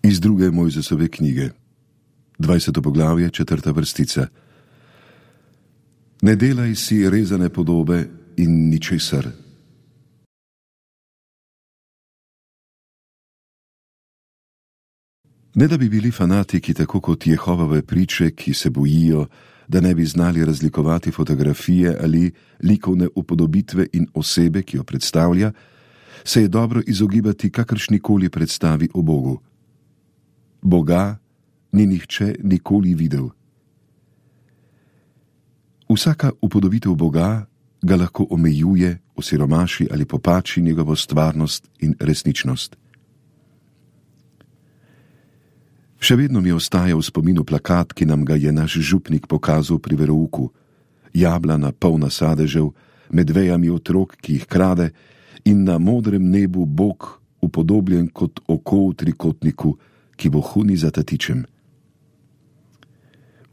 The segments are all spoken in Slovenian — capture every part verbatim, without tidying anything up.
Iz druge Mojzesove knjige, dvajseto poglavje, četrta vrstica. Ne delaj si rezane podobe in ničesar. Ne da bi bili fanatiki tako kot Jehovove priče, ki se bojijo, da ne bi znali razlikovati fotografije ali likovne upodobitve in osebe, ki jo predstavlja, se je dobro izogibati kakršnikoli predstavi o Bogu. Boga ni nihče nikoli videl. Vsaka upodobitev Boga ga lahko omejuje, osiromaši ali popači njegovo stvarnost in resničnost. Še vedno mi ostaja v spominu plakat, ki nam ga je naš župnik pokazal pri verouku. Jablana polna sadežev, med vejami otrok, ki jih krade, in na modrem nebu Bog, upodobljen kot oko v trikotniku, ki vohuni za tatičem.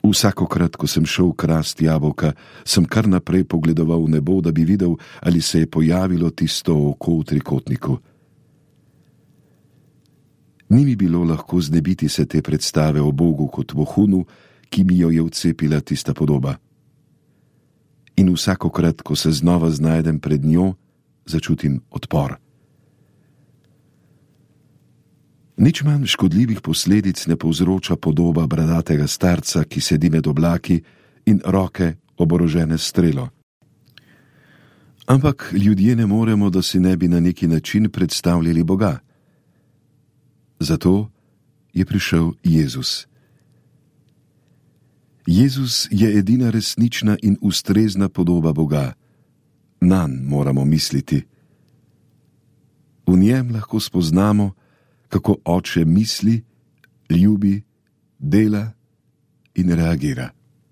Vsakokrat, ko sem šel krast jabolka, sem kar naprej pogledoval v nebo, da bi videl, ali se je pojavilo tisto oko v trikotniku. Ni mi bilo lahko znebiti se te predstave o Bogu kot vohunu, ki mi jo je vcepila tista podoba. In vsakokrat, ko se znova znajdem pred njo, začutim odpor. Nič manj škodljivih posledic ne povzroča podoba bradatega starca, ki sedi med oblaki in roke oborožene s strelo. Ampak ljudje ne moremo, da si ne bi na neki način predstavljali Boga. Zato je prišel Jezus. Jezus je edina resnična in ustrezna podoba Boga. Nanj moramo misliti. V njem lahko spoznamo, kako Oče misli, ljubi, dela in reagira.